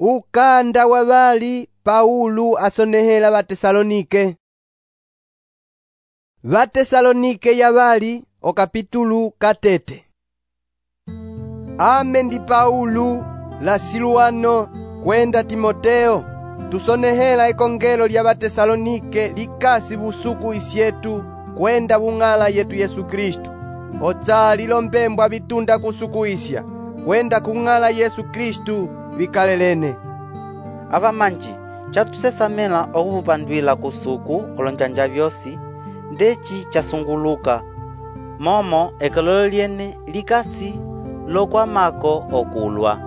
Ukanda wa vali Paulo asonehela Vatesalonike. Vatesalonike ya vali okapitulu katete. Ame ndi Paulo la Siluano kwenda Timoteo tusonehela ekongelo lya Vatesalonike likasi busuku isyetu kwenda bung'ala yetu Yesu Kristu. Otsali lombembwa bitunda kusukuisya kwenda kung'ala Yesu Kristu vikalelene. Avamanji chatusesamela okuvupandwila kusuku olonjanja vyosi ndeci chasunguluka momo ekololo lyene likasi lokwamako okulwa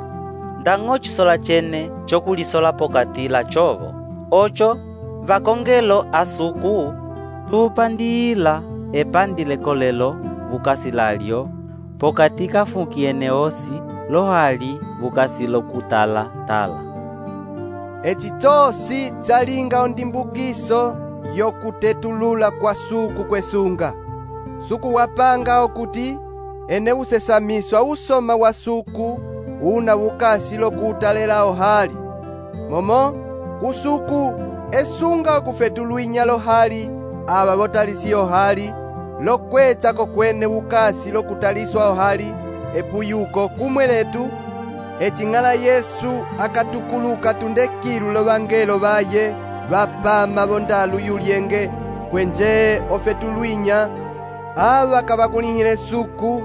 ndang'o chisola chene chokulisola pokati la chovo ocho vakongelo asuku tupandiyila epandi lekolelo vukasi lalyo pokati kafukiene osi lohali vukasi lokutala-tala. Eci tosi tsalinga ondimbukiso yokutetulula kwa suku kwesunga. Suku wapanga okuti ene usesamiswa usoma wa suku una vukasi lokutalela ohali. Momo kusuku esunga okufetuluinya lohali aba botalisi ohali lokwetsa kokwene vukasi lokutaliswa ohali epuyuko kumweletu ecing'ala Yesu akatukuluka tundekilu lovangelo baye bapama bondalu yulyenge kwenje ofetuluinya aba kabakunihile suku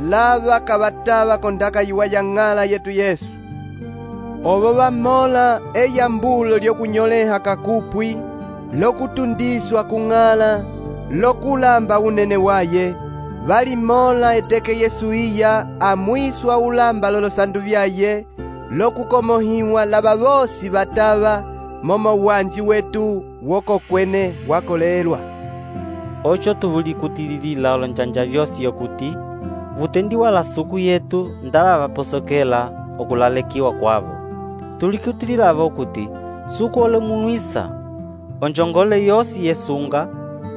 lava kabataba kondaka yiwa ya ng'ala yetu Yesu. Obo bamola eyambulo lyokunyoleha kakupwi lokutundiswa kung'ala lokulamba unene waye balimola eteke Yesu iya amwiswa ulamba lolosandu vyaye lokukomohiwa laba bosi bataba momo wanji wetu wokokwene wakolelwa. Ocho tuvulikutililila olonjanja vyosi yokuti vutendiwa la suku yetu ndaba vaposokela okulalekiwa kwavo. Tulikutililava okuti suku olemunwisa onjongole yosi yesunga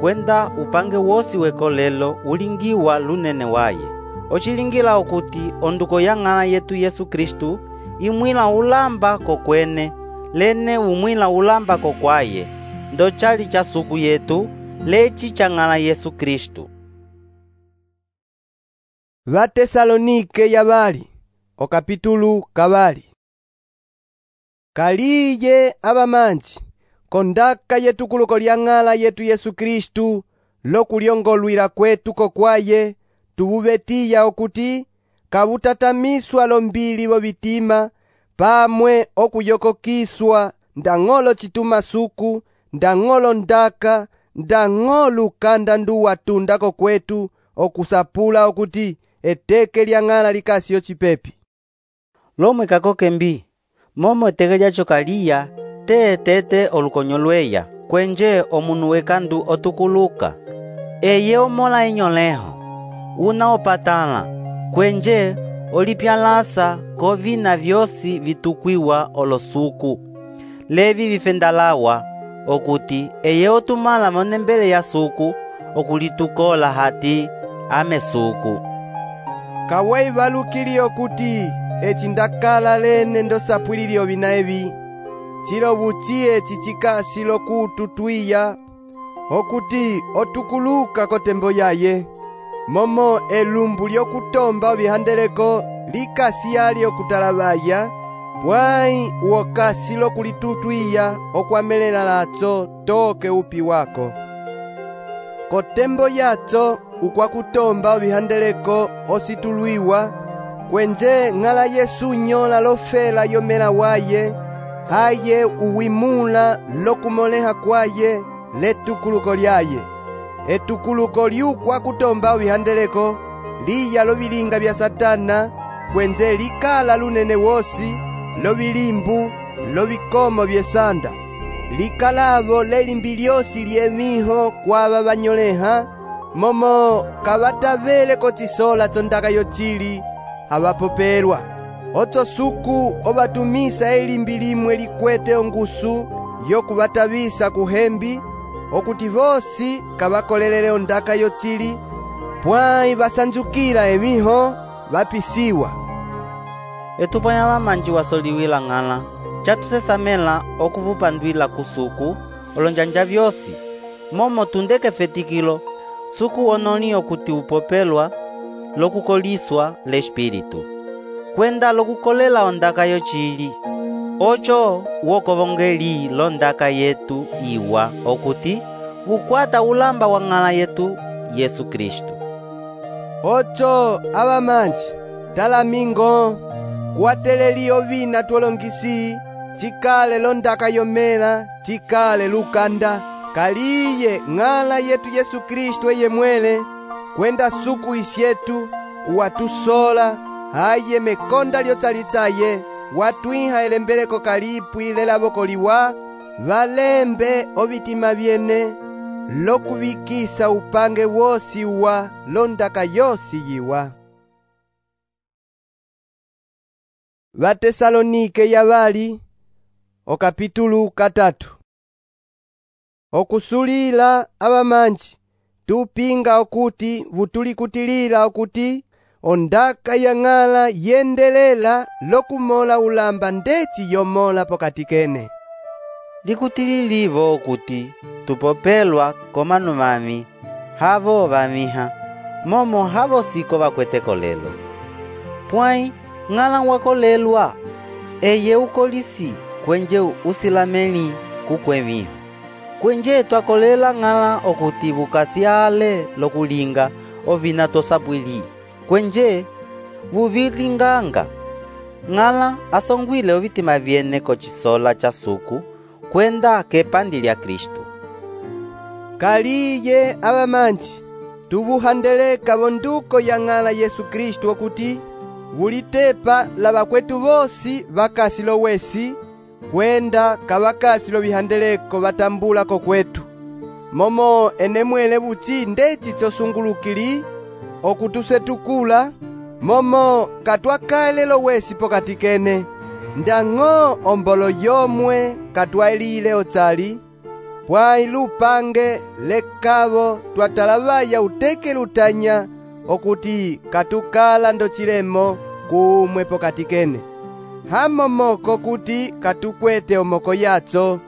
kwenda upange wosi wekolelo ulingiwa lunene waye. Ochilingila okuti onduko ya ng'ala yetu Yesu Kristu imwila ulamba kokwene lene umwila ulamba kokwaye ndo chali cha suku yetu leci cha ng'ala Yesu Kristu. Vatesalonike ya bali okapitulu kabali. Kaliye abamanji kondaka yetukuluko lya ng'ala yetu Yesu Kristu lokulyongolwila kwetu kokwaye tububetiya okuti kabutatamiswa lombili bobitima pamwe okuyokokiswa ndang'olo chituma suku ndang'olo ndaka ndang'olo ukanda nduwatunda kokwetu okusapula okuti eteke lya ng'ala likasi yochipepi. Lomwe kakoke mbi momo eteke lyacho kaliya teetete olukonyo lweya kwenje omunu wekandu otukuluka eye omola enyoleho una opatala kwenje olipyalasa kovina vyosi vitukwiwa olosuku levi vifendalawa okuti eye otumala monembele ya suku okulitukola hati ame suku. Kawai valukili okuti eci ndakala lene ndosapwilili ovina evi chilo buchiye chichikasi lokututwiya okuti otukuluka kotembo yaye momo elumbu lyokutomba ovihandeleko likasi yali okutalabaya bwai uokasi lokulitutwiya okwamelela latso toke upi wako kotembo yatso ukwakutomba ovihandeleko ositulwiwa kwenje ng'ala Yesu nyola lofela yomela waye haye uwimula lokumoleha kwaye letukuluko lyaye. Etukuluko liukwa kutomba ovihandeleko liya lovilinga vya Satana kwenje likala lunene wosi lovilimbu lovikomo vyesanda likalavo lelimbi lyosi lyemiho kwaba banyoleha momo kabatavele kochisola tsondaka yochili habapopelwa. Otso suku obatumisa elimbi limwe likwete ongusu yokubatavisa kuhembi okuti vosi kabakolelele ondaka yochili pwai basanjukila emiho bapisiwa. etupanya vamanji wasoliwila ng'ala, chatusesamela okuvupandwila kusuku olonjanja vyosi, momo tundeke fetikilo, suku wonoli okuti upopelwa lokukoliswa l'Espiritu, kwenda lokukolela ondaka yocili, ocho wokovongeli londaka yetu iwa okuti vukwata ulamba wa ng'ala yetu Yesu Kristu. Ocho abamanji talamingo kuwateleli ovina twolongisi, cikale londaka yomela, cikale lukanda, kaliye ng'ala yetu Yesu Kristu eye mwele, kwenda suku isyetu watusola haye mekonda lyotsalitsaye, watwiha elembeleko kalipwi lelavokoliwa, valembe ovitima vyene lokuvikisa upange wosi wa londaka yosi yiwa. Vatesalonike yavali okapitulu 3. Okusulila abamanji tupinga okuti vutulikutilila okuti ondaka ya ng'ala yendelela lokumola ulamba ndeci yomola pokati kene. Likutililivo okuti tupopelwa komanu mami havo vamiha, momo havo siko vakweteko lelo. Pwai ng'ala wakolelwa eye ukolisi kwenje usilameli kukwemiho, kwenje twakolela ng'ala okuti vukasiale lokulinga ovina tosapwili, kwenje vuvilinganga. Ng'ala asongwile ovitima vyene kocisola cha suku kwenda kepandi lya Kristu. Kaliye abamanji tuvuhandeleka vonduko ya ng'ala Yesu Kristu okuti vulitepa la vakwetu vosi vakasi lowesi, kwenda kavakasi lovihandeleko vatambulako kwetu, momo enemwele vuti ndeci tsosungulukili okutusetukula, momo katwakale lowesi pokati kene, ndang'o ombolo yomwe katwaelile otsali, pwai lupange lekavo twatalavaya uteke lutanya okuti katukala ndocilemo kumwe pokati kene, hamomoko kuti katukwete omoko yatso,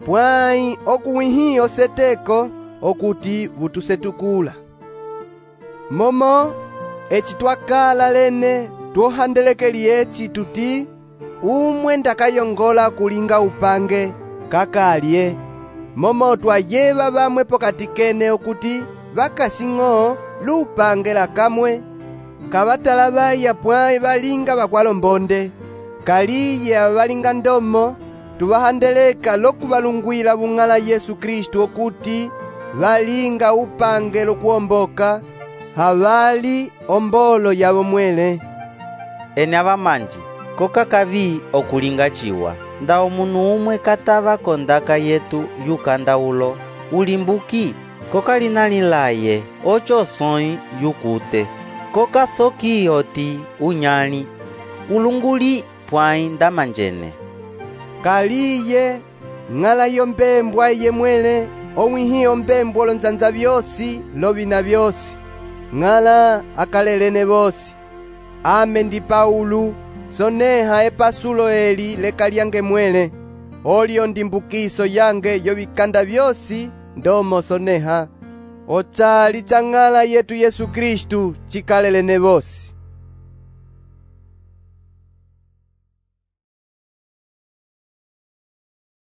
pwai okuwihi oseteko okuti vutusetukula. Momo eci twakala lene tuohandelekeli eci tuti umwe ndakayongola kulinga upange kakalye, momo twayeva vamwe pokati kene okuti vakasing'o lupange lakamwe kavatalavaya pwai valinga vakwalombonde, kaliye avalinga ndomo tuvahandeleka lokuvalungwila vung'ala Yesu Kristu okuti valinga upange lokuomboka, havali ombolo yavo mwele. Ene abamanji koka kavi okulinga ciwa, nda omunu umwe katava kondaka yetu yukanda ulo ulimbuki, koka linalilaye ocho soi yukute, koka soki oti unyali ulunguli pwai ndamanjene. Kaliye ng'ala yombembwa iye mwele owihi ombembwa olonzanza vyosi lovina vyosi, ng'ala akalelene vosi. Ame ndi Paulu, soneha epasulo eli lekalyange mwele, olio ndimbukiso yange yovikanda vyosi ndomo soneha, otsali tsa ng'ala yetu Yesu Kristu cikalelene vosi.